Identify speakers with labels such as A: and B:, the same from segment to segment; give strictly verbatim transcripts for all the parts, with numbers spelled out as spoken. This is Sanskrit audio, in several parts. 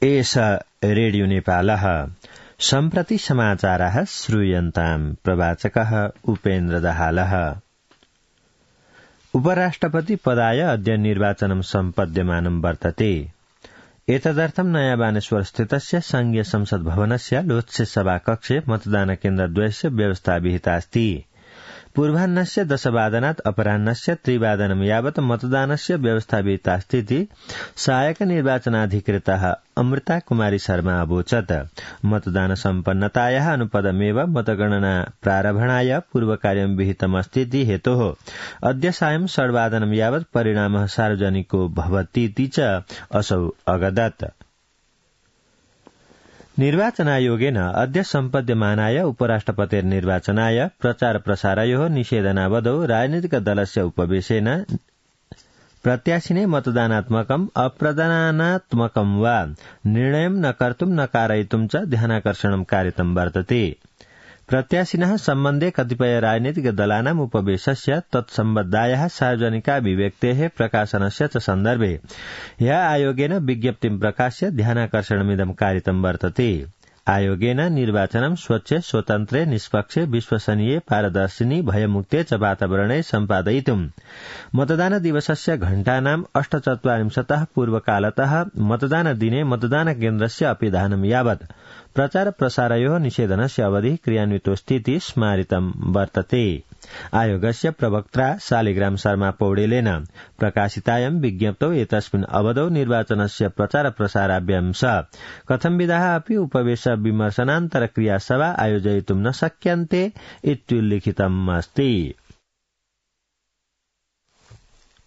A: एष रेडियो नेपालः सम्प्रति समाचारः श्रूयन्ताम् प्रवाचकः उपेन्द्र दाहालः। उपराष्ट्रपति पदाय अद्य निर्वाचनं सम्पद्यमानं वर्तते। एतदर्थं नयाँ बानेश्वर स्थितस्य संघीय संसद भवनस्य लोत्से सभाकक्षे मतदान केन्द्रद्वयस्य व्यवस्था विहिता अस्ति। पूर्वाह्नस्य दशवादनात् अपराह्नस्य त्रिवादनं यावत् मतदानस्य व्यवस्था विहिता अस्ति। सहायक निर्वाचनाधिकृतः अमृता कुमारी शर्मा अवोचत्। मतदान सम्पन्नतायाः अनुपदमेव मतगणना प्रारम्भणाय पूर्वकार्यं विहितमस्ति हेतोः अद्य सायं षड्वादनं यावत् परिणामः सार्वजनिको भवतीति च असौ अगदत्। निर्वाचनायोगेन अद्य सम्पद्यमानाय उपराष्ट्रपतिर्निर्वाचनाय प्रचार प्रसारयोः निषेधनावधौ राजनीतिक दलस्य उपवेशेन प्रत्याशिने मतदानात्मकम् अप्रदानात्मकं वा निर्णयं न कर्तुं न कारयितुं च ध्यानाकर्षणं कारितं वर्तते। प्रत्याशिनः सम्बन्धे कतिपय राजनीतिक दलानाम् उपवेशस्य तत्सम्बद्धायाः सार्वजनिकाभिव्यक्तेः प्रकाशनस्य च सन्दर्भे ह्यः आयोगेन विज्ञप्तिं प्रकाश्य ध्यानाकर्षणमिदं कारितं वर्तते। आयोगेन निर्वाचनं स्वच्छ स्वतन्त्रे निष्पक्षे विश्वसनीये पारदर्शिनी भयमुक्ते च वातावरणे सम्पादयितुं मतदान दिवसस्य घण्टानाम् अष्टचत्वारिंशतः पूर्वकालतः मतदान दिने मतदान केन्द्रस्य अपिधानं यावत् प्रचार प्रसारयोः निषेधनस्य अवधिः क्रियान्वितोऽस्तीति स्मारितं वर्तते। आयोगस्य प्रवक्त्रा शालिग्राम शर्मा पौडेलेन प्रकाशितायां विज्ञप्तौ एतस्मिन् अवधौ निर्वाचनस्य प्रचार प्रसाराभ्यां कथंविधाः अपि उपवेश विमर्शनान्तर क्रियासभा आयोजयितुं न शक्यन्ते इत्युल्लिखितम् अस्ति।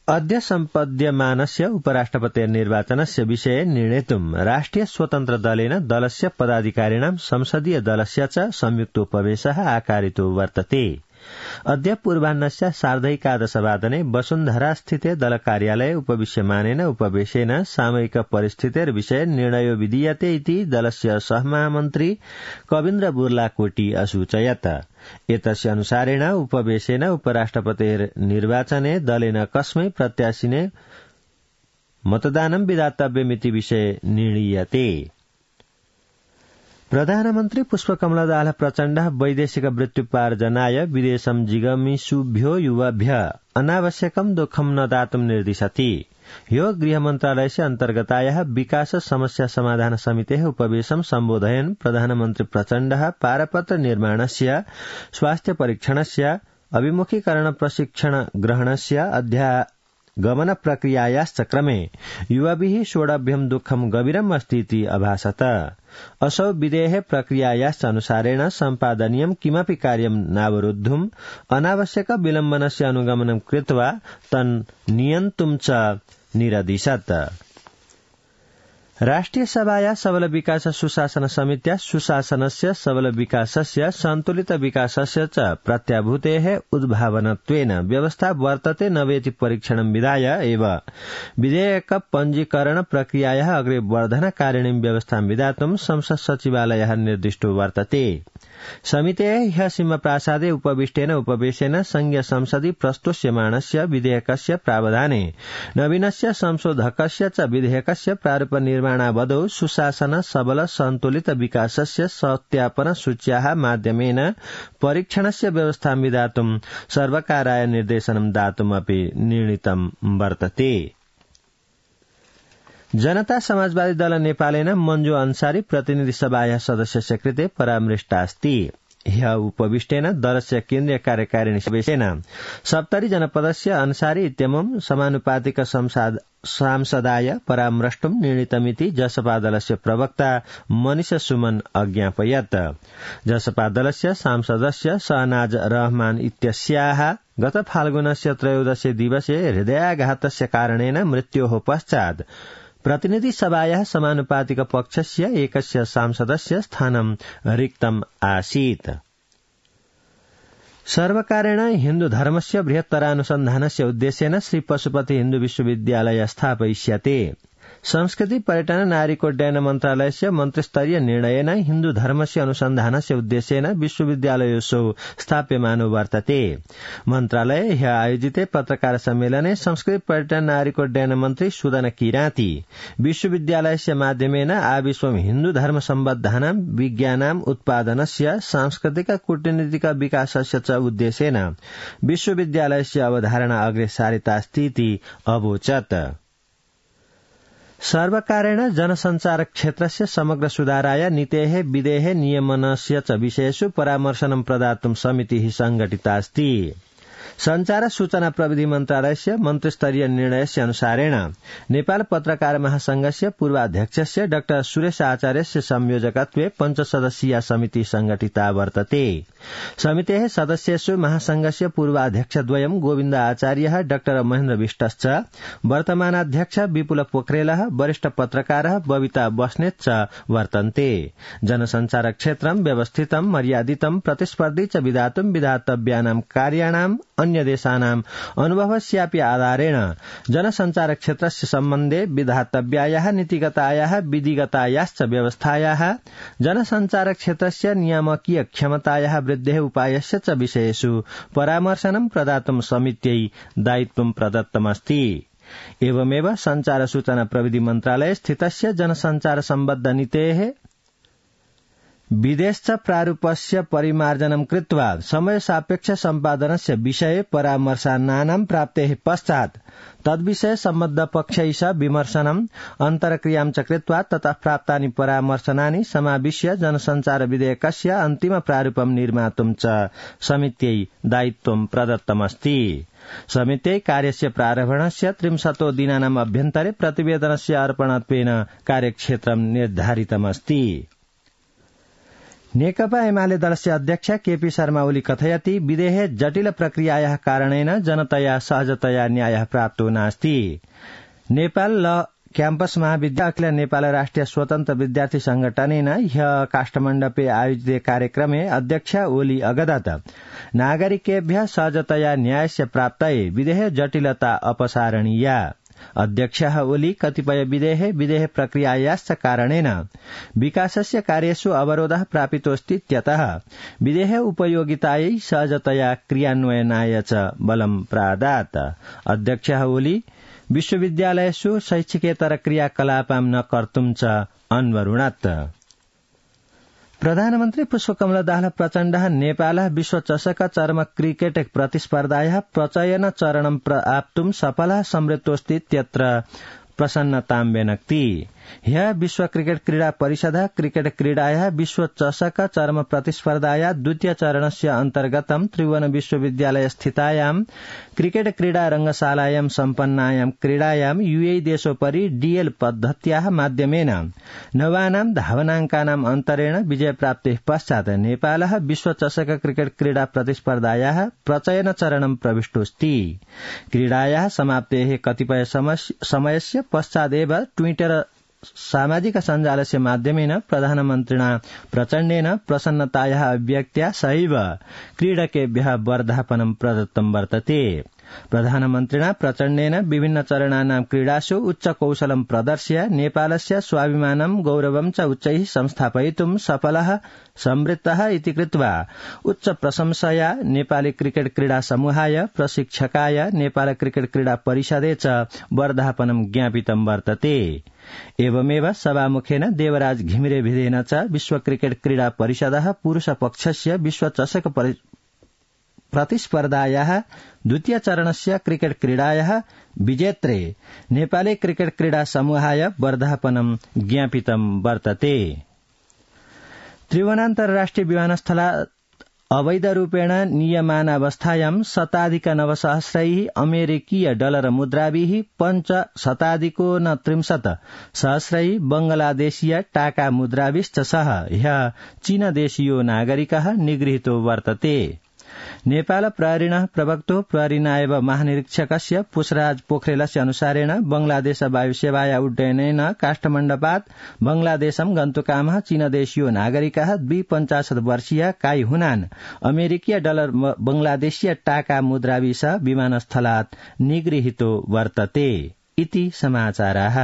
A: अद्य सम्पद्यमानस्य उपराष्ट्रपतिर्निर्वाचनस्य विषये निर्णेतुं राष्ट्रिय स्वतन्त्र दलेन दलस्य पदाधिकारिणां संसदीय दलस्य च संयुक्तोपवेशः आकारितो वर्तते। अद्य पूर्वाह्नस्य सार्धैकादशवादने वसुन्धरास्थिते दल कार्यालये उपविश्यमानेन उपवेशेन सामयिक परिस्थितेर्विषये निर्णयो विधीयते इति दलस्य सहमहामन्त्री कवीन्द्र बुर्लाकोटी असूचयत्। एतस्य अनुसारेण उपवेशेन उपराष्ट्रपतिर्निर्वाचने दलेन कस्मै प्रत्याशिने मतदानं विधातव्यमिति विषये निर्णीयते। प्रधानमन्त्री पुष्पकमलदास प्रचण्डः वैदेशिक वृत्त्युपार्जनाय विदेशं जिगमिषुभ्यो युवाभ्यः अनावश्यकं दुःखं न दातुं निर्दिशति। ह्यो गृहमन्त्रालयस्य अन्तर्गतायाः विकास समस्या समाधान समितेः उपवेशं सम्बोधयन् प्रधानमन्त्री प्रचण्डः पारपत्र निर्माणस्य स्वास्थ्य परीक्षणस्य अभिमुखीकरण प्रशिक्षण ग्रहणस्य अध्या गमन प्रक्रियायाश्च क्रमे युवाभिः षोडभ्यं दुःखं गभीरम् अस्तीति अभासत। असौ विधेः प्रक्रियायाश्च अनुसारेण सम्पादनीयं किमपि कार्यं नावरुद्धुम् अनावश्यक विलम्बनस्य अनुगमनं कृत्वा तन् नियन्तुं च निरदिशत्। राष्ट्रिय सभाया सबल विकास सुशासन समित्या सुशासनस्य सबल विकासस्य सन्तुलित विकासस्य च प्रत्याभूतेः उद्भावनत्वेन व्यवस्था वर्तते नवेति परीक्षणं विधाय एव विधेयक पञ्जीकरण प्रक्रियायाः अग्रे वर्धनकारिणीं व्यवस्थां विधातुं संसद सचिवालयः निर्दिष्टो वर्तते। समितेः ह्यः सिंहप्रासादे उपविष्टेन उपवेशेन संघीय संसदि प्रस्तुष्यमाणस्य विधेयकस्य प्रावधाने नवीनस्य संशोधकस्य च विधेयकस्य प्रारूप निर्माणावधौ सुशासन सबल सन्तुलित विकासस्य सत्यापन सूच्याः माध्यमेन परीक्षणस्य व्यवस्थां विधातुं सर्वकाराय निर्देशनं दातुमपि निर्णीतं वर्तते। जनता समाजवादी दल नेपालेन मञ्जु अन्सारी प्रतिनिधि सभायाः सदस्यस्य कृते परामृष्टास्ति। ह्यः उपविष्टेन दलस्य केन्द्रीय कार्यकारिणी सदस्येन सप्तरी जनपदस्य अन्सारी इत्यमुं समानुपातिक सांसदाय परामृष्टुं निर्णीतमिति जसपा दलस्य प्रवक्ता मनीष सुमन अज्ञापयत्। जसपा दलस्य सांसदस्य शहनाज रहमान इत्यस्याः गत फाल्गुनस्य त्रयोदशे दिवसे हृदयाघातस्य कारणेन मृत्योः पश्चात् प्रतिनिधि सभायाः समानुपातिक पक्षस्य एकस्य सांसदस्य स्थानं रिक्तम् आसीत्। सर्वकारेण हिन्दू धर्मस्य बृहत्तरानुसन्धानस्य उद्देश्येन श्री पशुपति हिन्दू विश्वविद्यालय स्थापयिष्यते। संस्कृति पर्यटन नागरिकोड्डयन मन्त्रालयस्य मन्त्रिस्तरीय निर्णयेन हिन्दू धर्मस्य अनुसन्धानस्य उद्देश्येन विश्वविद्यालयोत्सव स्थाप्यमानो वर्तते। मन्त्रालये ह्य आयोजिते पत्रकार सम्मेलने संस्कृति पर्यटन नागरिकोड्डयन मन्त्री सुदन किराती विश्वविद्यालयस्य माध्यमेन आविश्वं हिन्दू धर्म सम्बद्धानां विज्ञानाम् उत्पादनस्य सांस्कृतिक कूटनीतिक विकासस्य च उद्देश्येन विश्वविद्यालयस्य अवधारणा अग्रे सारितास्तीति अवोचत्। सर्वकारेण जनसञ्चार क्षेत्रस्य समग्र सुधाराय नीतेः विधेः नियमनस्य च विषयेषु परामर्शनं प्रदातुं समितिः संघटितास्ति। संचार सूचना प्रविधि मन्त्रालयस्य मन्त्रिस्तरीय निर्णयस्य अनुसारेण नेपाल पत्रकार महासंघस्य पूर्वाध्यक्षस्य डाक्टर सुरेश आचार्यस्य संयोजकत्वे पञ्चसदस्यीय समिति संघटिता वर्तते। समितेः सदस्येषु महासंघस्य पूर्वाध्यक्षद्वयं गोविन्द आचार्यः डाक्टर महेन्द्र विष्टश्च, वर्तमानाध्यक्ष विपुल पोखरेलः, वरिष्ठ पत्रकारः बबिता बस्नेत च वर्तन्ते। जनसञ्चार क्षेत्रं व्यवस्थितं मर्यादितं प्रतिस्पर्धी च विधातुं विधातव्यानां कार्याणाम् अन्य देशानाम् अनुभवस्यापि आधारेण जनसञ्चार क्षेत्रस्य सम्बन्धे विधातव्यायाः नीतिगतायाः विधिगतायाश्च व्यवस्थायाः जनसञ्चार क्षेत्रस्य नियामकीय क्षमतायाः वृद्धेः उपायस्य च विषयेषु परामर्शनं प्रदातुं समित्यै दायित्वं प्रदत्तमस्ति। एवमेव संचार सूचना प्रविधि मन्त्रालये स्थितस्य जनसञ्चार सम्बद्ध नीतेः विदेश प्रारूपस्य परिमार्जनं कृत्वा समय सापेक्ष सम्पादनस्य विषये परामर्शानां प्राप्तेः पश्चात् तद्विषये सम्बद्ध पक्षैः सह विमर्शनम् अन्तर्क्रियां च कृत्वा ततः प्राप्तानि परामर्शनानि समाविश्य जनसञ्चार विधेयकस्य अन्तिम प्रारूपं निर्मातुं च समित्यै दायित्वं प्रदत्तमस्ति। समित्यै कार्यस्य प्रारम्भणस्य त्रिंशतो दिनानाम् अभ्यन्तरे प्रतिवेदनस्य अर्पणत्वेन कार्यक्षेत्रं निर्धारितमस्ति। नेकपा एमाले दलस्य अध्यक्ष केपी शर्मा ओली कथयति विदेहे जटिल प्रक्रियायाः कारणेन जनतया सहजतया न्यायः प्राप्तो नास्ति। नेपाल ल क्याम्पस महाविद्यालय अखिल नेपाल राष्ट्रिय स्वतन्त्र विद्यार्थी संगठनेन ह्यः काष्ठमण्डपे आयोजिते कार्यक्रमे अध्यक्ष ओली अगदत नागरिकेभ्यः सहजतया न्यायस्य प्राप्तये विदेहे जटिलता अपसारणीया। अध्यक्षः ओली कतिपय विदेह विदेह प्रक्रियायाश्च कारणेन विकासस्य कार्येषु अवरोधः प्रापितोऽस्तीत्यतः विदेह उपयोगितायै सहजतया क्रियान्वयनाय च बलं प्रादात्। अध्यक्षः ओली विश्वविद्यालयेषु शैक्षिकेतर क्रियाकलापां न कर्तुं च अन्वरुणत्। प्रधानमन्त्री पुष्पकमल दाहाल प्रचण्डः नेपालः विश्वचषक चरम क्रिकेट प्रतिस्पर्धायाः प्रचयन चरणं प्राप्तुं सफलः समृद्धोऽस्तीत्यत्र प्रसन्नतां व्यनक्ति। ह्यः विश्व क्रिकेट क्रीडा परिषदः क्रिकेट क्रीडायाः विश्व चषक चरम प्रतिस्पर्धायाः द्वितीय चरणस्य अन्तर्गतं त्रिभुवन विश्वविद्यालय स्थितायां क्रिकेट क्रीडा रंगशालायां सम्पन्नायां क्रीडायां यूए देशोपरि डीएल पद्धत्याः माध्यमेन नवानां धावनाङ्कानाम् अन्तरेण विजयप्राप्तेः पश्चात् नेपालः विश्व चषक क्रिकेट क्रीडा प्रतिस्पर्धायाः प्रचयन चरणं प्रविष्टोऽस्ति। क्रीडायाः समाप्तेः कतिपय समयस्य पश्चादेव ट्विटर सामाजिक सञ्जालस्य माध्यमेन प्रधानमन्त्रिणा प्रचण्डेन प्रसन्नतायाः अभिव्यक्त्या सहैव क्रीडकेभ्यः वर्धापनं प्रदत्तं वर्तते। प्रधानमन्त्रिणा प्रचण्डेन विभिन्न चरणानां क्रीडासु उच्च कौशलं प्रदर्श्य नेपालस्य स्वाभिमानं गौरवं च उच्चैः संस्थापयितुं सफलः समृद्धः इति कृत्वा उच्च प्रशंसया नेपाली क्रिकेट क्रीडा समूहाय, प्रशिक्षकाय, नेपाल क्रिकेट क्रीडा परिषदे च वर्धापनं ज्ञापितं वर्तते। एवमेव सभामुखेन देवराज घिमिरे भिदेन च विश्व क्रिकेट क्रीडा परिषदः पुरुष पक्षस्य विश्व चषक प्रतिस्पर्धायाः द्वितीय चरणस्य क्रिकेट क्रीडायाः विजेत्रे नेपाली क्रिकेट क्रीडा समूहाय वर्धापनं ज्ञापितं वर्तते। त्रिभुवनान्तर्राष्ट्रिय विमानस्थलात् अवैध रूपेण नियमानावस्थायां शताधिक नवसहस्रैः अमेरिकीय डलर मुद्राभिः पञ्च शताधिको त्रिंशत् सहस्रैः बंगलादेशीय टाका मुद्राभिश्च सह ह्यः चीनदेशीयो नागरिकः निगृहीतो वर्तते। नेपाल प्रहरिणः प्रवक्तो प्रहरी नायब महानिरीक्षकस्य पुष्पराज पोखरेलस्य अनुसारेण बंगलादेश वायुसेवाया उड्डयनेन काष्ठमण्डपात् बंगलादेशं गन्तुकामः चीनदेशीयो नागरिकः द्विपञ्चाशत् वर्षीय काई हुनान अमेरिकीय डलर बंगलादेशीय टाका मुद्राभिः विमानस्थलात् निगृहीतो वर्तते इति समाचाराः।